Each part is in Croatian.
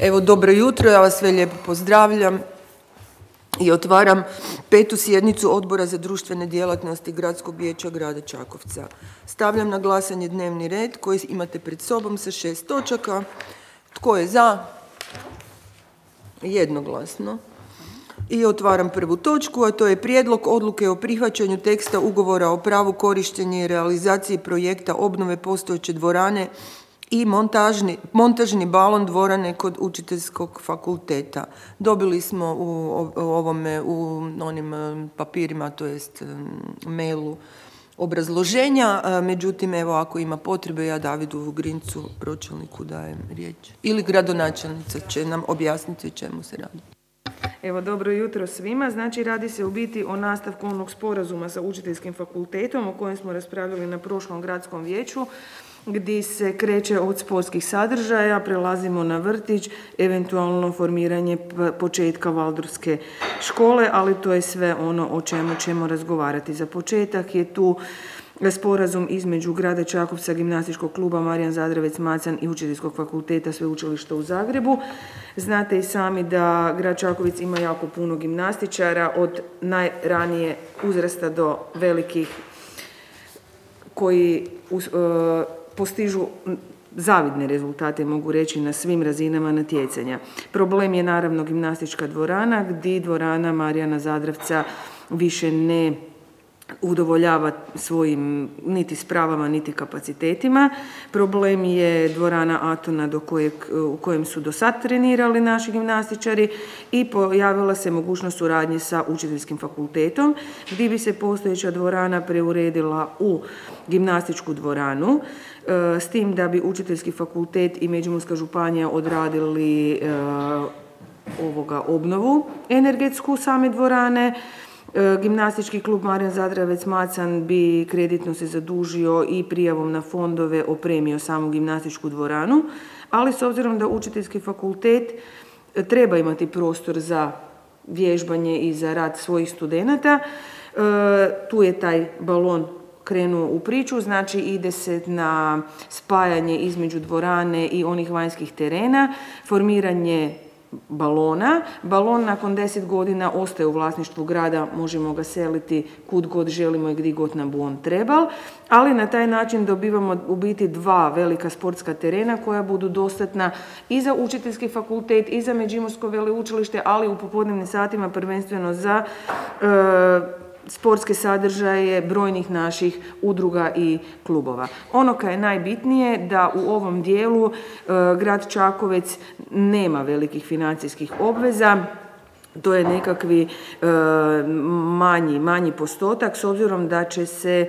Evo, dobro jutro, ja vas sve lijepo pozdravljam i otvaram 5. sjednicu Odbora za društvene djelatnosti Gradskog vijeća grada Čakovca. Stavljam na glasanje dnevni red koji imate pred sobom sa 6 točaka. Tko je za? Jednoglasno. I otvaram prvu točku, a to je prijedlog odluke o prihvaćanju teksta ugovora o pravu korištenja i realizaciji projekta obnove postojeće dvorane i montažni balon dvorane kod Učiteljskog fakulteta. Dobili smo u onim papirima, to jest mailu, obrazloženja, međutim, evo, ako ima potrebe, ja Davidu Vugrincu, pročelniku, dajem riječ. Ili gradonačelnica će nam objasniti o čemu se radi. Evo, dobro jutro svima. Znači, radi se u biti o nastavku onog sporazuma sa Učiteljskim fakultetom o kojem smo raspravljali na prošlom gradskom vijeću, gdje se kreće od sportskih sadržaja, prelazimo na vrtić, eventualno formiranje početka Valdorfske škole, ali to je sve ono o čemu ćemo razgovarati. Za početak je tu sporazum između grada Čakovca, gimnastičkog kluba Marijan Zadravec Macan i Učiteljskog fakulteta Sveučilišta u Zagrebu. Znate i sami da grad Čakovec ima jako puno gimnastičara, od najranije uzrasta do velikih koji postižu zavidne rezultate, mogu reći, na svim razinama natjecanja. Problem je naravno gimnastička dvorana, gdje dvorana Marijana Zadravca više ne udovoljava svojim niti spravama, niti kapacitetima. Problem je dvorana Atona u kojem su do sad trenirali naši gimnastičari i pojavila se mogućnost suradnje sa Učiteljskim fakultetom, gdje bi se postojeća dvorana preuredila u gimnastičku dvoranu, s tim da bi Učiteljski fakultet i Međimurska županija odradili obnovu energetsku same dvorane. Gimnastički klub Marijan Zadravec Macan bi kreditno se zadužio i prijavom na fondove opremio samu gimnastičku dvoranu, ali s obzirom da Učiteljski fakultet treba imati prostor za vježbanje i za rad svojih studenata, tu je taj balon krenuo u priču, znači ide se na spajanje između dvorane i onih vanjskih terena, formiranje balona. Balon nakon 10 godina ostaje u vlasništvu grada, možemo ga seliti kud god želimo i gdje god nam on trebal, ali na taj način dobivamo u biti 2 velika sportska terena koja budu dostatna i za Učiteljski fakultet i za Međimursko veleučilište, ali u popodnevnim satima prvenstveno za sportske sadržaje brojnih naših udruga i klubova. Ono kaj je najbitnije da u ovom dijelu grad Čakovec nema velikih financijskih obveza. To je nekakvi manji postotak, s obzirom da će se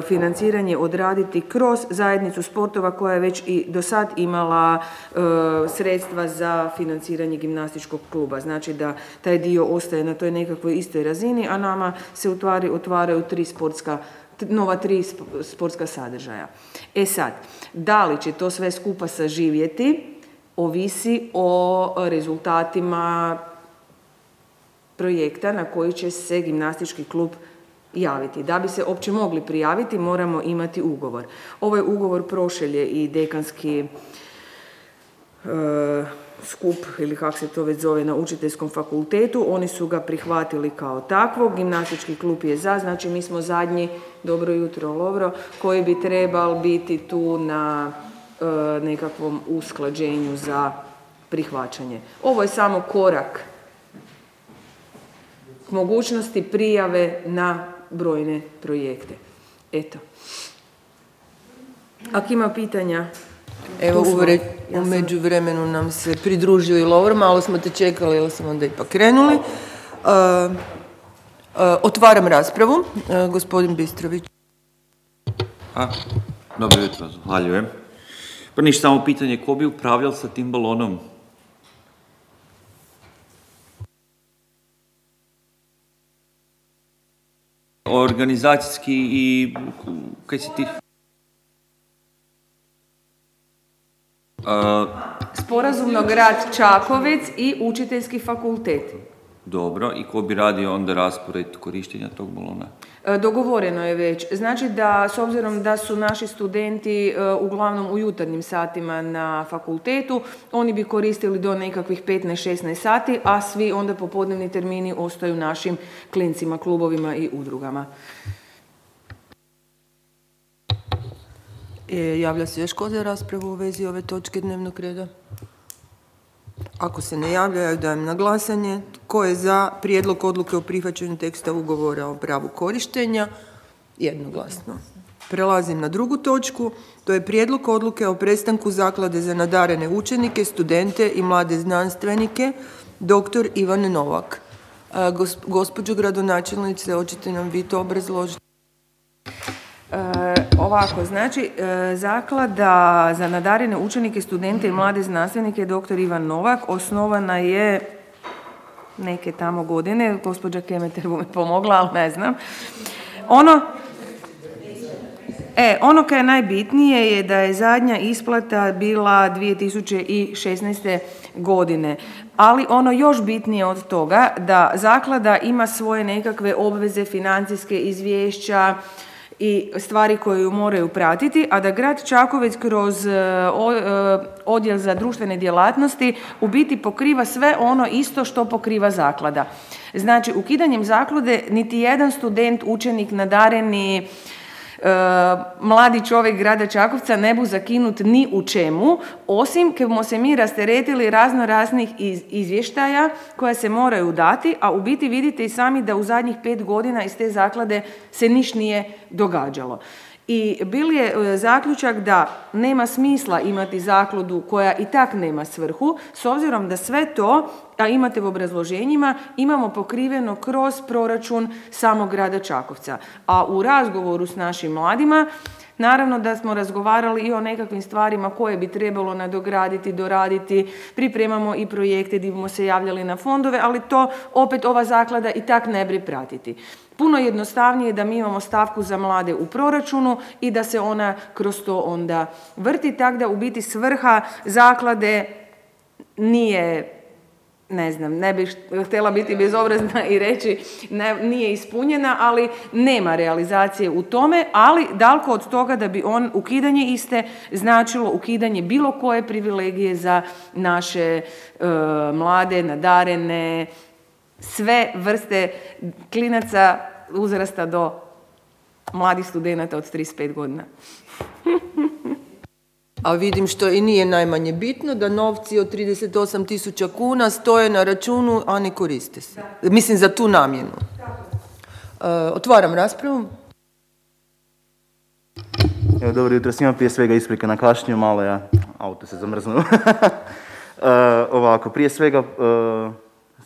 financiranje odraditi kroz zajednicu sportova koja je već i do sad imala sredstva za financiranje gimnastičkog kluba. Znači da taj dio ostaje na toj nekakvoj istoj razini, a nama se otvaraju 3 sportska sadržaja. E sad, da li će to sve skupa saživjeti, ovisi o rezultatima projekta na koji će se gimnastički klub javiti. Da bi se uopće mogli prijaviti, moramo imati ugovor. Ovaj ugovor prošelje i dekanski skup, ili kako se to već zove, na Učiteljskom fakultetu. Oni su ga prihvatili kao takvog. Gimnastički klub je za, znači mi smo zadnji, dobro jutro Lovro, koji bi trebal biti tu na nekakvom usklađenju za prihvaćanje. Ovo je samo korak k mogućnosti prijave na brojne projekte. Eto. Ako ima pitanja... Evo, u međuvremenu nam se pridružio i Lovro, malo smo te čekali, ali smo onda ipak krenuli. Otvaram raspravu. Gospodin Bistrović. Dobro jutro, zahvaljujem. Pa ništa, samo pitanje, ko bi upravljal sa tim balonom? Organizacijski i kaj si ti? Sporazumno grad Čakovec i Učiteljski fakultet. Dobro, i ko bi radio onda raspored korištenja tog balona? Dogovoreno je već. Znači da, s obzirom da su naši studenti uglavnom u jutarnjim satima na fakultetu, oni bi koristili do nekakvih 15-16 sati, a svi onda popodnevni termini ostaju našim klincima, klubovima i udrugama. Javlja se još ko za raspravu u vezi ove točke dnevnog reda? Ako se ne javljaju, dajem na glasanje. Tko je za prijedlog odluke o prihvaćanju teksta ugovora o pravu korištenja? Jednoglasno. Prelazim na drugu točku. To je prijedlog odluke o prestanku Zaklade za nadarene učenike, studente i mlade znanstvenike, dr. Ivan Novak. Gospođo gradonačelnice, hoćete nam vi to obrazložiti? Ovako, znači, Zaklada za nadarene učenike, studente i mlade znanstvenike dr. Ivan Novak osnovana je neke tamo godine, gospođa Kemeter bu me pomogla, ali ne znam. Ono kaj je najbitnije je da je zadnja isplata bila 2016. godine, ali ono još bitnije od toga da Zaklada ima svoje nekakve obveze, financijske izvješća i stvari koje ju moraju pratiti, a da grad Čakovec kroz odjel za društvene djelatnosti u biti pokriva sve ono isto što pokriva Zaklada. Znači, ukidanjem Zaklade niti jedan student, učenik, nadareni, mladi čovjek grada Čakovca ne bu zakinut ni u čemu, osim kad smo se mi rasteretili razno raznih izvještaja koja se moraju dati, a u biti vidite i sami da u zadnjih 5 godina iz te zaklade se niš nije događalo. I bil je zaključak da nema smisla imati zakladu koja i tak nema svrhu, s obzirom da sve to, a imate u obrazloženjima, imamo pokriveno kroz proračun samog grada Čakovca. A u razgovoru s našim mladima, naravno da smo razgovarali i o nekakvim stvarima koje bi trebalo nadograditi, doraditi, pripremamo i projekte gdje bismo se javljali na fondove, ali to opet ova zaklada i tak ne bi pratiti. Puno jednostavnije da mi imamo stavku za mlade u proračunu i da se ona kroz to onda vrti, tako da u biti svrha zaklade nije, ne znam, ne bih htjela biti bezobrazna i reći nije ispunjena, ali nema realizacije u tome, ali daleko od toga da bi ukidanje iste značilo ukidanje bilo koje privilegije za naše mlade, nadarene, sve vrste klinaca uzrasta do mladih studenata od 35 godina. A vidim što i nije najmanje bitno, da novci od 38.000 kuna stoje na računu, a ne koriste se. Mislim, za tu namjenu. Otvaram raspravu. Evo, dobro jutro svima, prije svega isprika na kašnju, malo ja, auto se zamrznuo. Ovako, prije svega,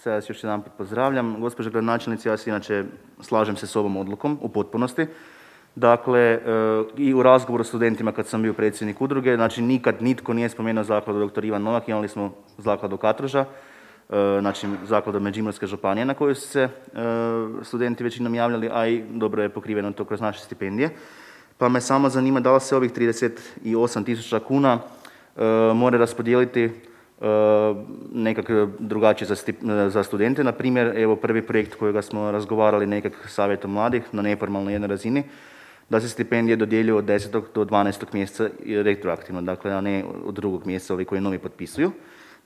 sad vas još jedan put pozdravljam. Gospođa gradonačelnice, ja se inače slažem se s ovom odlukom u potpunosti. Dakle, i u razgovoru s studentima kad sam bio predsjednik udruge, znači nikad nitko nije spomenuo zakladu dr. Ivan Novak, imali smo zakladu Katruža, znači zakladu Međimurske županije na koju su se studenti većinom javljali, a i dobro je pokriveno to kroz naše stipendije. Pa me samo zanima da li se ovih 38.000 kuna mora raspodijeliti nekako drugačije za studente. Na primjer, evo prvi projekt kojega smo razgovarali nekak savjetom mladih na neformalnoj jednoj razini, da se stipendije dodjeljuju od 10. do 12. mjeseca retroaktivno, dakle a ne od 2. mjeseca ovi koji novi potpisuju.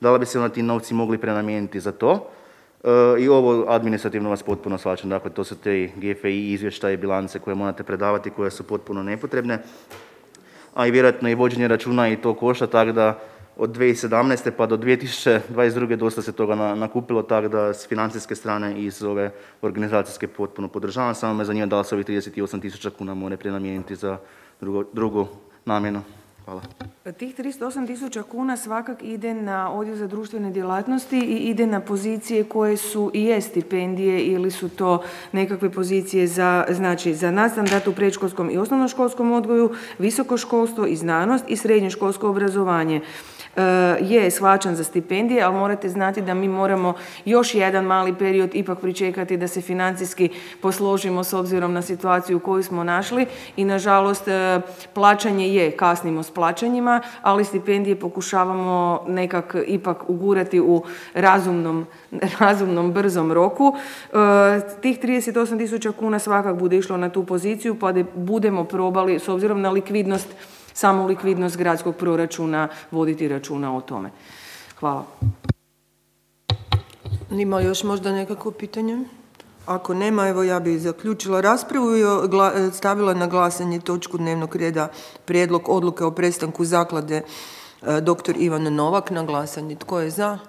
Da li bi se ti novci mogli prenamijeniti za to? I ovo administrativno vas potpuno shvaćam, dakle to su te GFI izvještaje, bilance koje morate predavati, koje su potpuno nepotrebne, a i vjerojatno i vođenje računa i to košta, tako da od 2017. pa do 2022. dosta se toga nakupilo, tako da s financijske strane i s ove organizacijske potpuno podržavam. Samo me zanima da li se ovih 38.000 kuna mora prenamijeniti za drugu namjenu. Hvala. Tih 38.000 kuna svakak ide na odjel za društvene djelatnosti i ide na pozicije koje su i je stipendije ili su to nekakve pozicije za nadstandard u predškolskom i osnovnoškolskom odgoju, visoko školstvo i znanost i srednjoškolsko obrazovanje. je shvaćan za stipendije, ali morate znati da mi moramo još jedan mali period ipak pričekati da se financijski posložimo s obzirom na situaciju koju smo našli i nažalost plaćanje kasnimo s plaćanjima, ali stipendije pokušavamo nekak ipak ugurati u razumnom brzom roku. Tih 38.000 kuna svakak bude išlo na tu poziciju pa da budemo probali s obzirom na likvidnost, samu likvidnost gradskog proračuna voditi računa o tome. Hvala. Ima još možda nekakvo pitanje? Ako nema, evo ja bih zaključila raspravu i stavila na glasanje točku dnevnog reda prijedlog odluke o prestanku zaklade dr. Ivan Novak na glasanje. Tko je za?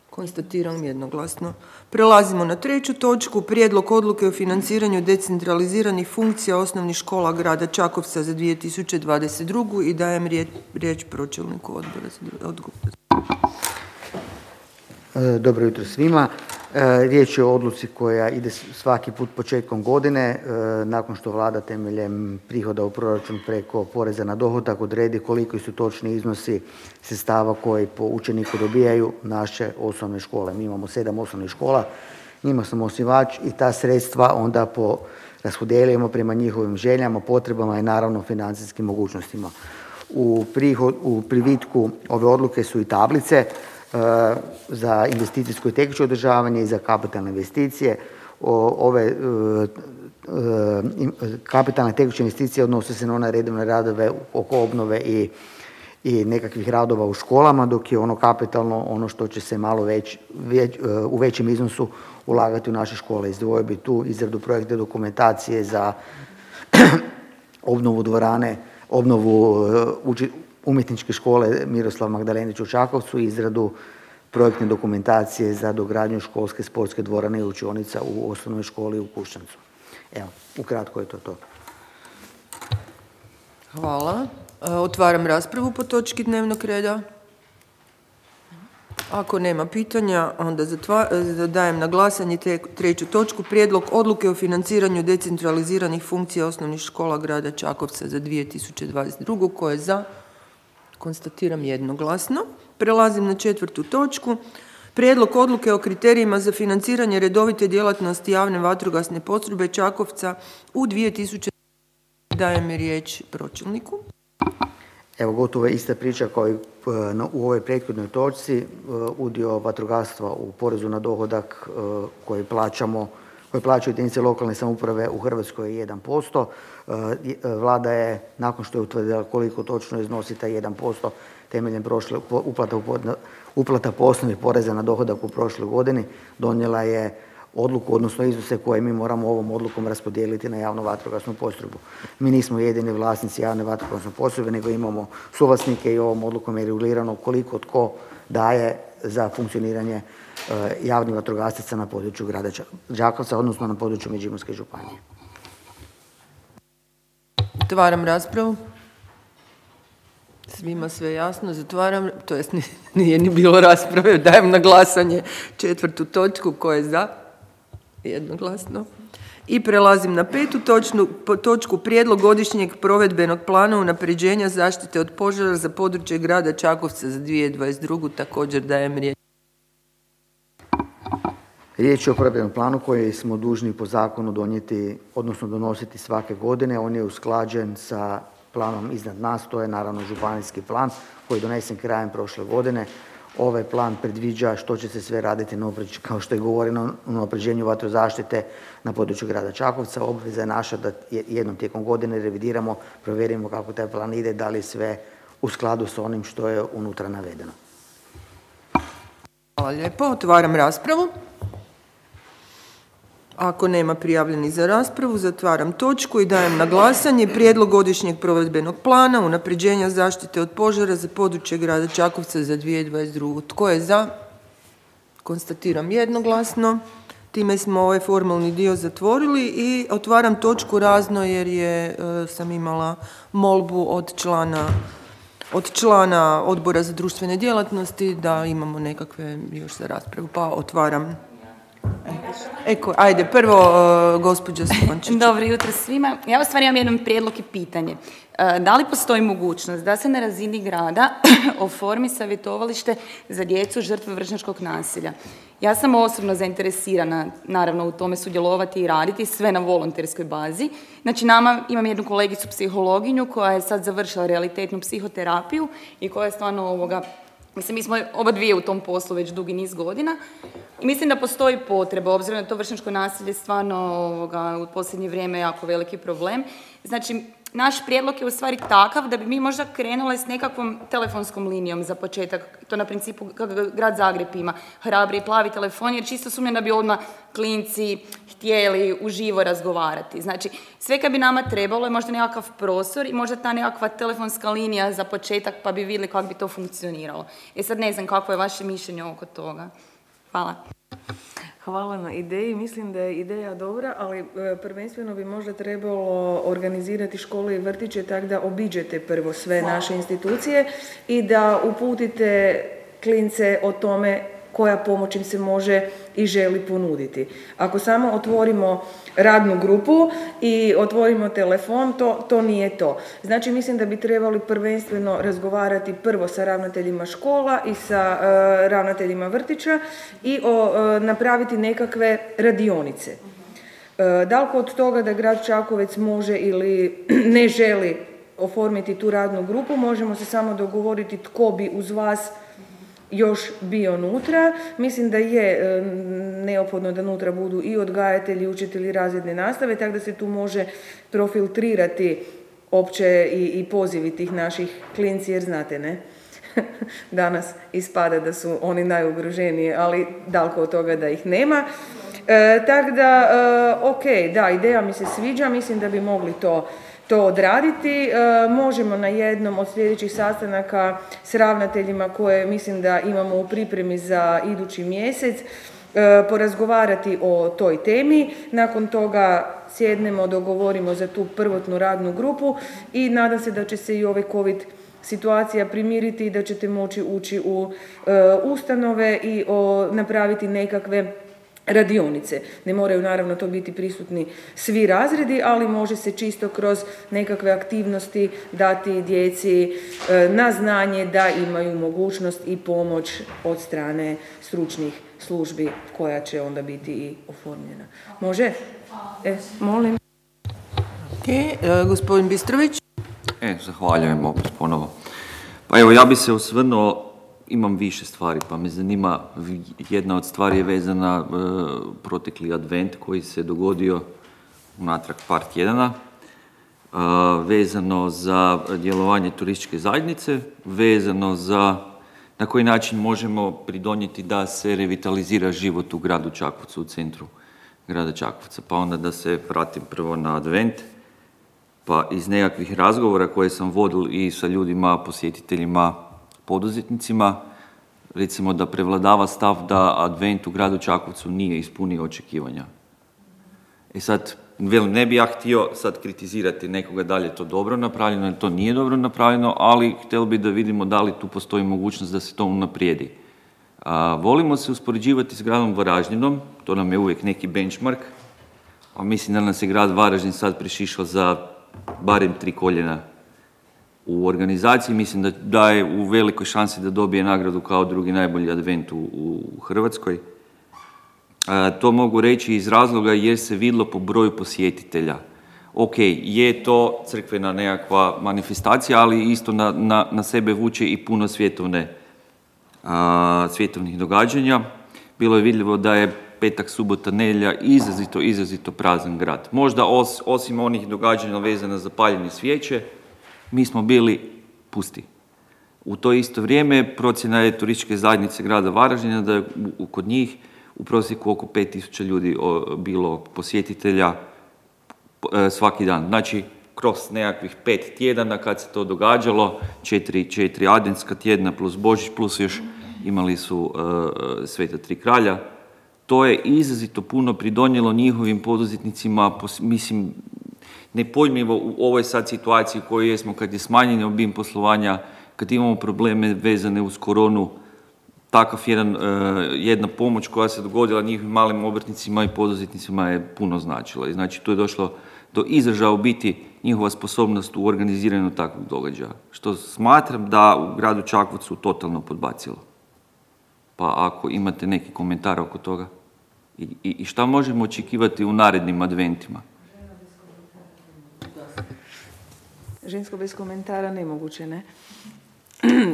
Konstatiram jednoglasno. Prelazimo na treću točku, prijedlog odluke o financiranju decentraliziranih funkcija osnovnih škola grada Čakovca za 2022. i dajem riječ pročelniku odbora. Dobro jutro svima. Riječ je o odluci koja ide svaki put početkom godine, nakon što vlada temeljem prihoda u proračun preko poreza na dohodak odredi koliko su točni iznosi sredstava koji po učeniku dobijaju naše osnovne škole. Mi imamo 7 osnovnih škola, njima smo osnivač i ta sredstva onda raspodjeljujemo prema njihovim željama, potrebama i naravno financijskim mogućnostima. U privitku ove odluke su i tablice za investicijsko i tekuće održavanje i za kapitalne investicije. Ove kapitalne tekuće investicije odnose se na one redovne radove oko obnove i nekakvih radova u školama, dok je ono kapitalno ono što će se malo u većem iznosu ulagati u naše škole. Izdvojio bi tu izradu projektne dokumentacije za obnovu dvorane, obnovu umjetničke škole Miroslav Magdalenić u Čakovcu i izradu projektne dokumentacije za dogradnju školske sportske dvorane i učionica u osnovnoj školi u Kušćancu. Evo, ukratko je to. Hvala. Otvaram raspravu po točki dnevnog reda. Ako nema pitanja, onda dajem na glasanje treću točku. Prijedlog odluke o financiranju decentraliziranih funkcija osnovnih škola grada Čakovca za 2022. Ko je za? Konstatiram jednoglasno. Prelazim na četvrtu točku. Prijedlog odluke o kriterijima za financiranje redovite djelatnosti javne vatrogasne postrojbe Čakovca u 2020. Dajem riječ pročelniku. Evo, gotovo je ista priča kao i u ovoj prethodnoj točci. Udio vatrogastva u porezu na dohodak koji plaćaju jedinice lokalne samouprave u Hrvatskoj je 1%. Vlada je, nakon što je utvrdila koliko točno iznosi taj 1% temeljem uplata po osnovi poreza na dohodak u prošloj godini, donijela je odluku, odnosno iznose koje mi moramo ovom odlukom raspodijeliti na javnu vatrogasnu postrojbu. Mi nismo jedini vlasnici javne vatrogasne postrojbe, nego imamo suvlasnike i ovom odlukom je regulirano koliko tko daje za funkcioniranje javnih vatrogasaca na području grada Čakovca, odnosno na području Međimurske županije. Otvaram raspravu. Svima sve jasno, zatvaram, to jest nije ni bilo rasprave, dajem na glasanje četvrtu točku, ko je za? Jednoglasno. I prelazim na petu točku, prijedlog godišnjeg provedbenog plana unapređenja zaštite od požara za područje grada Čakovca za 2022. Također dajem riječ. Riječ je o provedbenom planu koji smo dužni po zakonu donijeti, odnosno donositi svake godine. On je usklađen sa planom iznad nas, to je naravno županijski plan koji je donesen krajem prošle godine. Ovaj plan predviđa što će se sve raditi, kao što je govoreno, na unapređenju vatrozaštite na području grada Čakovca. Obveza je naša da jednom tijekom godine revidiramo, provjerimo kako taj plan ide, da li sve u skladu sa onim što je unutra navedeno. Hvala lijepo. Otvaram raspravu. Ako nema prijavljenih za raspravu, zatvaram točku i dajem na glasanje prijedlog godišnjeg provedbenog plana unapređenja zaštite od požara za područje grada Čakovca za 2022. Tko je za? Konstatiram jednoglasno. Time smo ovaj formalni dio zatvorili i otvaram točku razno jer sam imala molbu od člana Odbora za društvene djelatnosti da imamo nekakve još za raspravu, pa otvaram. Ajde, prvo gospođa Spončić. Dobro jutro svima. Ja u stvari imam jedan prijedlog i pitanje. Da li postoji mogućnost da se na razini grada oformi savjetovalište za djecu žrtve vršnjačkog nasilja? Ja sam osobno zainteresirana, naravno, u tome sudjelovati i raditi, sve na volonterskoj bazi. Znači, imam jednu kolegicu psihologinju koja je sad završila realitetnu psihoterapiju i koja je stvarno mislim, mi smo oba dvije u tom poslu već dugi niz godina i mislim da postoji potreba, obzirom da to vršnjačko nasilje stvarno u posljednje vrijeme jako veliki problem. Znači, naš prijedlog je u stvari takav da bi mi možda krenule s nekakvom telefonskom linijom za početak, to na principu kako grad Zagreb ima, hrabri i plavi telefon, jer čisto sumnjam da bi odmah klinci htjeli uživo razgovarati. Znači, sve kad bi nama trebalo je možda nekakav prostor i možda ta nekakva telefonska linija za početak, pa bi vidjeli kako bi to funkcioniralo. Sad ne znam kako je vaše mišljenje oko toga. Hvala. Hvala na ideji. Mislim da je ideja dobra, ali prvenstveno bi možda trebalo organizirati škole i vrtiće tako da obiđete prvo sve naše institucije i da uputite klince o tome koja pomoć im se može i želi ponuditi. Ako samo otvorimo radnu grupu i otvorimo telefon, to nije to. Znači, mislim da bi trebali prvenstveno razgovarati prvo sa ravnateljima škola i sa ravnateljima vrtića i napraviti nekakve radionice. Daleko od toga da grad Čakovec može ili ne želi oformiti tu radnu grupu, možemo se samo dogovoriti tko bi uz vas još bio unutra. Mislim da je neophodno da unutra budu i odgajatelji, učitelji razredne nastave, tako da se tu može profiltrirati opće i pozivi tih naših klinci, jer znate, ne? Danas ispada da su oni najugroženiji, ali daleko od toga da ih nema. Tako da, da, ideja mi se sviđa, mislim da bi mogli to odraditi. Možemo na jednom od sljedećih sastanaka s ravnateljima koje mislim da imamo u pripremi za idući mjesec porazgovarati o toj temi. Nakon toga sjednemo, dogovorimo za tu prvotnu radnu grupu i nadam se da će se i ovaj COVID situacija primiriti i da ćete moći ući u ustanove i napraviti nekakve radionice. Ne moraju naravno to biti prisutni svi razredi, ali može se čisto kroz nekakve aktivnosti dati djeci na znanje da imaju mogućnost i pomoć od strane stručnih službi koja će onda biti i oformljena. Može? Molim. Gospodin Bistrović. Zahvaljujem opet ponovo. Pa evo, ja bi se osvrnuo, imam više stvari, pa me zanima, jedna od stvari je vezana protekli advent koji se dogodio unatrag par tjedana, vezano za djelovanje turističke zajednice, vezano za na koji način možemo pridonijeti da se revitalizira život u gradu Čakovcu, u centru grada Čakovca. Pa onda da se vratim prvo na advent, pa iz nekakvih razgovora koje sam vodil i sa ljudima, posjetiteljima, poduzetnicima, recimo da prevladava stav da advent u gradu Čakovcu nije ispunio očekivanja. Sad, ne bi ja htio sad kritizirati nekoga da li je to dobro napravljeno ili to nije dobro napravljeno, ali htjeli bi da vidimo da li tu postoji mogućnost da se to unaprijedi. Volimo se uspoređivati s gradom Varaždinom, to nam je uvijek neki benchmark, a mislim da nas je grad Varaždin sad prešišao za barem 3 koljena u organizaciji. Mislim da je u velikoj šansi da dobije nagradu kao drugi najbolji advent u Hrvatskoj. To mogu reći iz razloga jer se vidjelo po broju posjetitelja. Je to crkvena nekakva manifestacija, ali isto na sebe vuče i puno svjetovnih događanja. Bilo je vidljivo da je petak, subota, nedjelja izrazito prazan grad. Možda osim onih događanja vezana za paljenje svijeće, mi smo bili pusti. U to isto vrijeme procjena je turističke zajednice grada Varaždina da je kod njih u prosjeku oko 5000 ljudi bilo posjetitelja svaki dan. Znači, kroz nekakvih 5 tjedana kad se to događalo, 4 adventska tjedna plus Božić, plus još imali su Sveta Tri kralja. To je izrazito puno pridonijelo njihovim poduzetnicima, mislim, nepojmljivo u ovoj sad situaciji u kojoj jesmo, kad je smanjen obim poslovanja, kad imamo probleme vezane uz koronu, takav jedna pomoć koja se dogodila njihovim malim obrtnicima i poduzetnicima je puno značila. I znači tu je došlo do izražaja u biti njihova sposobnost u organiziranju takvog događaja, što smatram da u gradu Čakovcu totalno podbacilo. Pa ako imate neki komentar oko toga i šta možemo očekivati u narednim adventima? Žensko bez komentara nemoguće, ne?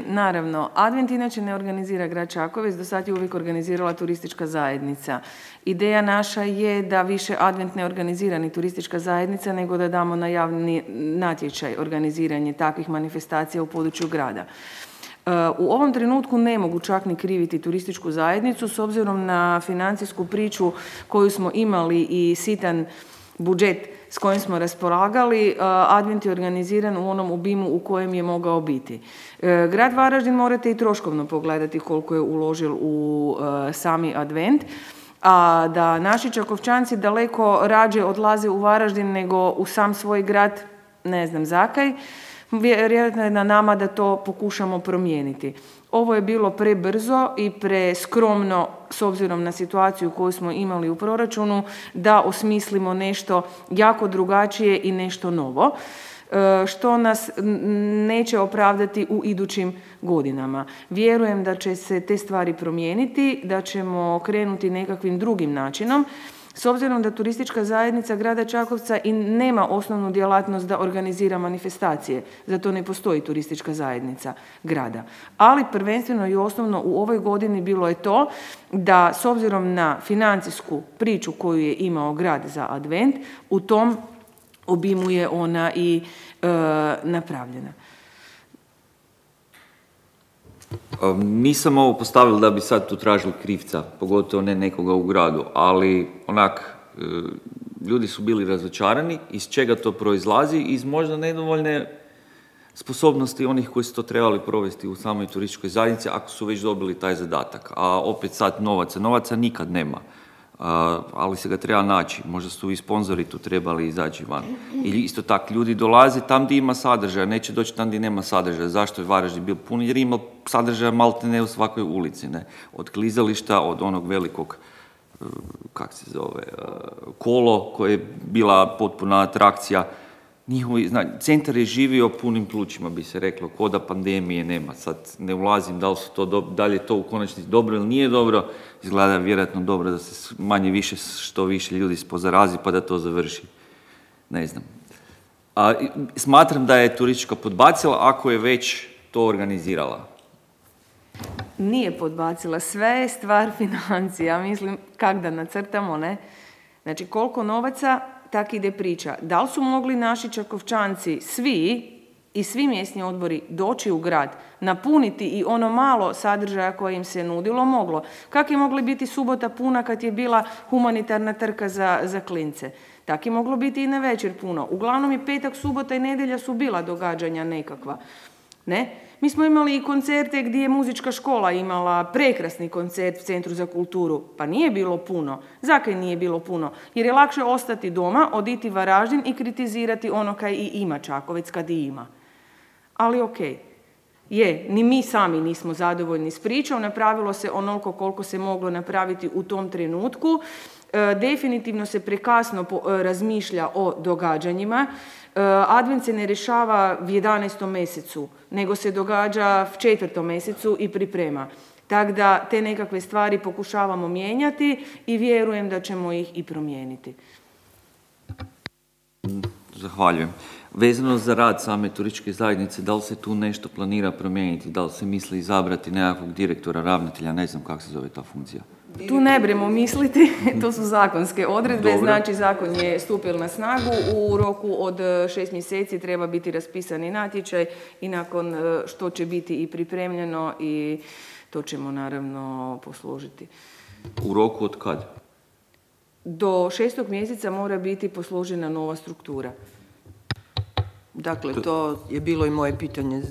Naravno, Advent inače ne organizira grad Čakovec, do sad je uvijek organizirala turistička zajednica. Ideja naša je da više Advent ne organizira ni turistička zajednica, nego da damo na javni natječaj organiziranje takvih manifestacija u području grada. U ovom trenutku ne mogu čak ni kriviti turističku zajednicu s obzirom na financijsku priču koju smo imali i sitan budžet s kojim smo raspolagali. Advent je organiziran u onom obimu u kojem je mogao biti. Grad Varaždin morate i troškovno pogledati koliko je uložil u sami Advent, a da naši Čakovčanci daleko rađe odlaze u Varaždin nego u sam svoj grad, ne znam zakaj. Vjerojatno je na nama da to pokušamo promijeniti. Ovo je bilo prebrzo i preskromno s obzirom na situaciju koju smo imali u proračunu da osmislimo nešto jako drugačije i nešto novo, što nas neće opravdati u idućim godinama. Vjerujem da će se te stvari promijeniti, da ćemo krenuti nekakvim drugim načinom. S obzirom da turistička zajednica grada Čakovca i nema osnovnu djelatnost da organizira manifestacije, zato ne postoji turistička zajednica grada. Ali prvenstveno i osnovno u ovoj godini bilo je to da s obzirom na financijsku priču koju je imao grad za Advent, u tom obimu je ona i napravljena. Nisam ovo postavila da bi sad tu tražili krivca, pogotovo ne nekoga u gradu, ali ljudi su bili razočarani. Iz čega to proizlazi? Iz možda nedovoljne sposobnosti onih koji su to trebali provesti u samoj turističkoj zajednici, ako su već dobili taj zadatak. A opet sad novaca nikad nema, ali se ga treba naći. Možda su i sponzori tu trebali izaći van. Ili isto tako, ljudi dolaze tam gdje ima sadržaja, neće doći tam gdje nema sadržaja. Zašto je Varaždin bio pun? Jer ima sadržaja malte ne u svakoj ulici. Ne? Od klizališta, od onog velikog, kolo koje je bila potpuna atrakcija. Centar je živio punim plućima, bi se reklo, ko da pandemije nema. Sad ne ulazim da li je to u konačnici dobro ili nije dobro. Izgleda vjerojatno dobro da se manje više, što više ljudi pozarazi pa da to završi. Ne znam. Smatram da je turistička podbacila ako je već to organizirala. Nije podbacila, sve je stvar financija. Mislim, kak da nacrtamo, ne? Znači, koliko novaca, tak ide priča. Da li su mogli naši Čakovčanci svi mjesni odbori doći u grad, napuniti i ono malo sadržaja koje im se nudilo? Moglo. Kak je mogla biti subota puna kad je bila humanitarna trka za klince? Tak je moglo biti i na večer puno. Uglavnom je petak, subota i nedjelja su bila događanja nekakva. Ne? Mi smo imali i koncerte gdje je muzička škola imala prekrasni koncert u Centru za kulturu. Pa nije bilo puno. Zakaj nije bilo puno? Jer je lakše ostati doma, oditi Varaždin i kritizirati ono kaj i ima Čakovec kad i ima. Ali okej. Ni mi sami nismo zadovoljni s pričom. Napravilo se onoliko koliko se moglo napraviti u tom trenutku. Definitivno se prekasno razmišlja o događanjima. Advent se ne rješava u 11. mjesecu, nego se događa u 4. mjesecu i priprema. Tako da te nekakve stvari pokušavamo mijenjati i vjerujem da ćemo ih i promijeniti. Zahvaljujem. Vezano za rad same turističke zajednice, da li se tu nešto planira promijeniti? Da li se misli izabrati nekakvog direktora, ravnatelja, ne znam kako se zove ta funkcija? Tu ne bremo misliti, to su zakonske odredbe. Dobro. Znači zakon je stupio na snagu, u roku od 6 mjeseci treba biti raspisani natječaj i nakon što će biti i pripremljeno i to ćemo naravno posložiti. U roku od kad? Do 6. mjeseca mora biti posložena nova struktura. Dakle, to je bilo i moje pitanje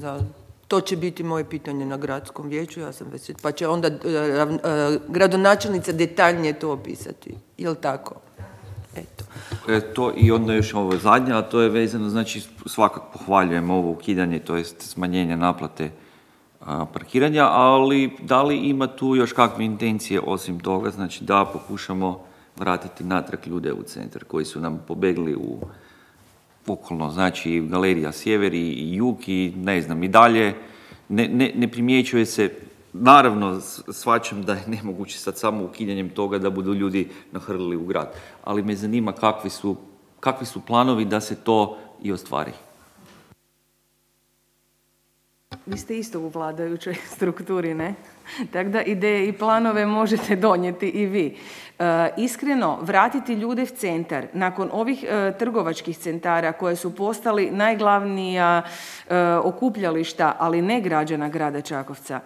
to će biti moje pitanje na gradskom vijeću, ja sam već, pa će onda gradonačelnica detaljnije to opisati, jel tako? Eto. To i onda još ovo zadnje, a to je vezano, znači svakako pohvaljujem ovo ukidanje, to jest smanjenje naplate parkiranja, ali da li ima tu još kakve intencije osim toga, znači da pokušamo vratiti natrag ljude u centar koji su nam pobegli u okolno, znači Galerija Sjever i Jug i ne znam, i dalje ne primjećuje se. Naravno, shvaćam da je nemoguće sad samo ukidanjem toga da budu ljudi nahrlili u grad, ali me zanima kakvi su planovi da se to i ostvari. Vi ste isto u vladajućoj strukturi, ne? Tako da ideje i planove možete donijeti i vi. Iskreno, vratiti ljude u centar nakon ovih trgovačkih centara koje su postali najglavnija okupljališta, ali ne građana grada Čakovca.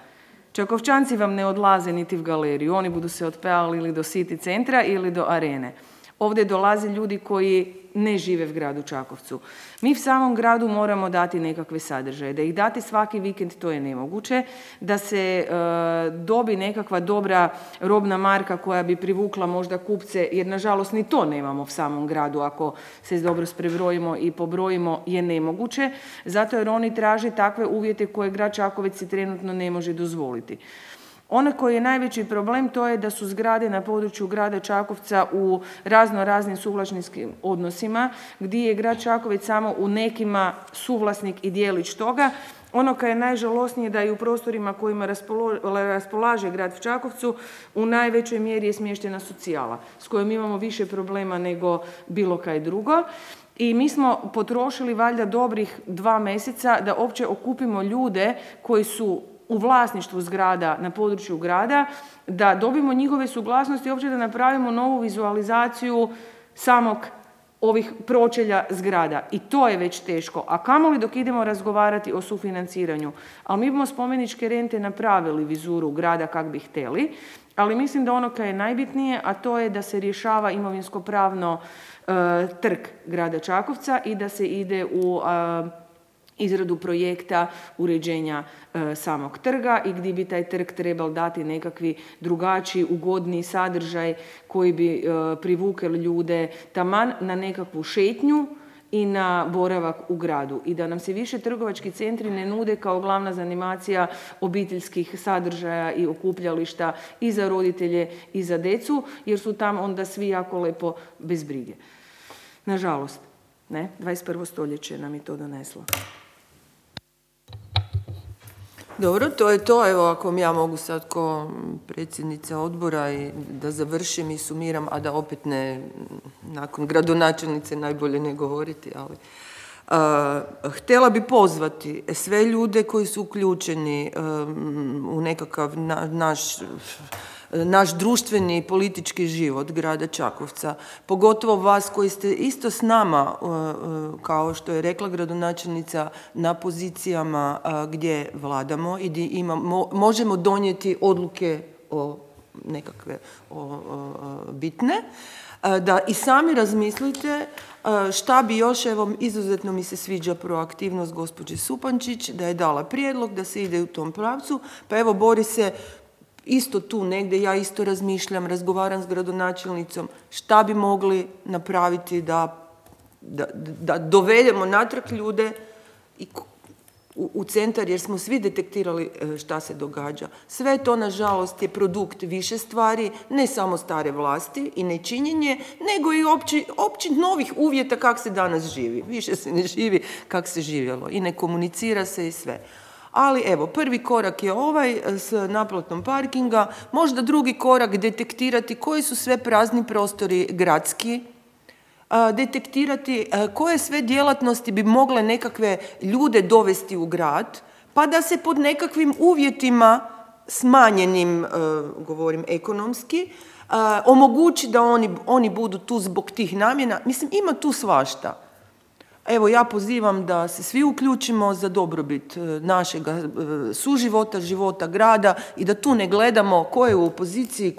Čakovčanci vam ne odlaze niti u galeriju, oni budu se otpevali ili do City centra ili do arene. Ovdje dolaze ljudi koji ne žive u gradu Čakovcu. Mi u samom gradu moramo dati nekakve sadržaje. Da ih dati svaki vikend, to je nemoguće. Da se dobi nekakva dobra robna marka koja bi privukla možda kupce, jer nažalost ni to nemamo u samom gradu, ako se dobro prebrojimo i pobrojimo, je nemoguće. Zato jer oni traže takve uvjete koje grad Čakovec si trenutno ne može dozvoliti. Ono koji je najveći problem, to je da su zgrade na području grada Čakovca u raznim suvlasničkim odnosima, gdje je grad Čakovec samo u nekima suvlasnik i dijelić toga. Ono koje je najžalosnije da i u prostorima kojima raspolaže grad u Čakovcu u najvećoj mjeri je smještena socijala, s kojom imamo više problema nego bilo kaj drugo. I mi smo potrošili valjda dobrih 2 mjeseca da uopće okupimo ljude koji su u vlasništvu zgrada na području grada, da dobimo njihove suglasnosti i uopće da napravimo novu vizualizaciju samog ovih pročelja zgrada. I to je već teško. A kamoli dok idemo razgovarati o sufinanciranju. Ali mi bomo spomeničke rente napravili vizuru grada kak bi htjeli, ali mislim da ono kaj je najbitnije, a to je da se rješava imovinsko-pravno trg grada Čakovca i da se ide u izradu projekta uređenja samog trga i gdje bi taj trg trebal dati nekakvi drugačiji, ugodniji sadržaj koji bi privukali ljude taman na nekakvu šetnju i na boravak u gradu. I da nam se više trgovački centri ne nude kao glavna zanimacija obiteljskih sadržaja i okupljališta i za roditelje i za decu, jer su tam onda svi jako lepo bez brige. Nažalost, ne? 21. stoljeće nam je to doneslo. Dobro, to je to. Evo, ako ja mogu sad ko predsjednica odbora i da završim i sumiram, a da opet ne, nakon gradonačelnice najbolje ne govoriti, ali htjela bi pozvati sve ljude koji su uključeni u nekakav naš društveni i politički život grada Čakovca, pogotovo vas koji ste isto s nama, kao što je rekla gradonačelnica, na pozicijama gdje vladamo i gdje možemo donijeti odluke nekakve bitne, da i sami razmislite šta bi još, evo, izuzetno mi se sviđa proaktivnost gospođe Supančić, da je dala prijedlog da se ide u tom pravcu, pa evo, bori se isto tu negdje, ja isto razmišljam, razgovaram s gradonačelnicom, šta bi mogli napraviti da dovedemo natrag ljude u centar, jer smo svi detektirali šta se događa. Sve to, nažalost, je produkt više stvari, ne samo stare vlasti i nečinjenje, nego i opći novih uvjeta kak se danas živi. Više se ne živi kak se živjelo i ne komunicira se i sve. Ali evo, prvi korak je ovaj s naplatom parkinga, možda drugi korak detektirati koji su sve prazni prostori gradski, detektirati koje sve djelatnosti bi mogle nekakve ljude dovesti u grad, pa da se pod nekakvim uvjetima smanjenim, govorim ekonomski, omogući da oni budu tu zbog tih namjena. Mislim, ima tu svašta. Evo, ja pozivam da se svi uključimo za dobrobit našeg suživota, života grada i da tu ne gledamo ko je u opoziciji,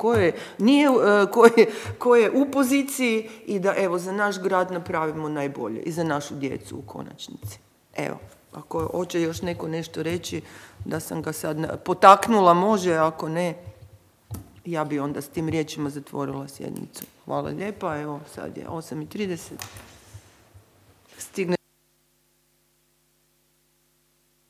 ko je u poziciji i da, evo, za naš grad napravimo najbolje i za našu djecu u konačnici. Evo, ako hoće još neko nešto reći, da sam ga sad potaknula, može, ako ne, ja bi onda s tim riječima zatvorila sjednicu. Hvala lijepa, evo, sad je 8:30.